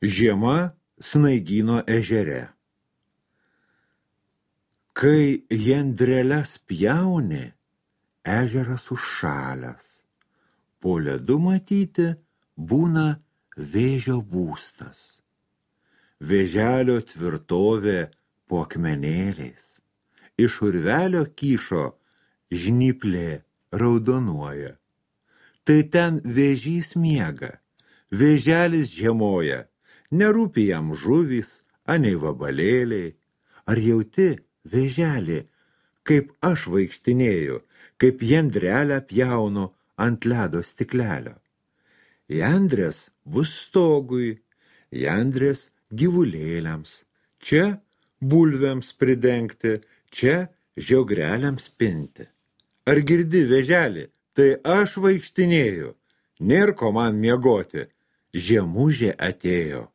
Žiema Snaigyno ežere. Kai jendreles pjauni, ežeras užšalęs. Po ledu matyti būna vėžio būstas. Vėželio tvirtovė po akmenėliais. Iš urvelio kyšo žnyplė raudonuoja. Tai ten vėžys miega, vėželis žiemoja, nerūpi jam žuvys, anei vabalėliai. Ar jauti, vėželį, kaip aš vaikštinėju, kaip jendrelę pjaunu ant ledo stiklelio? Jandrės bus stogui, jandrės gyvulėliams, čia bulvėms pridengti, čia žiogreliams pinti. Ar girdi, vėželį, tai aš vaikštinėju, nėr ko man miegoti, žiemužė atėjo.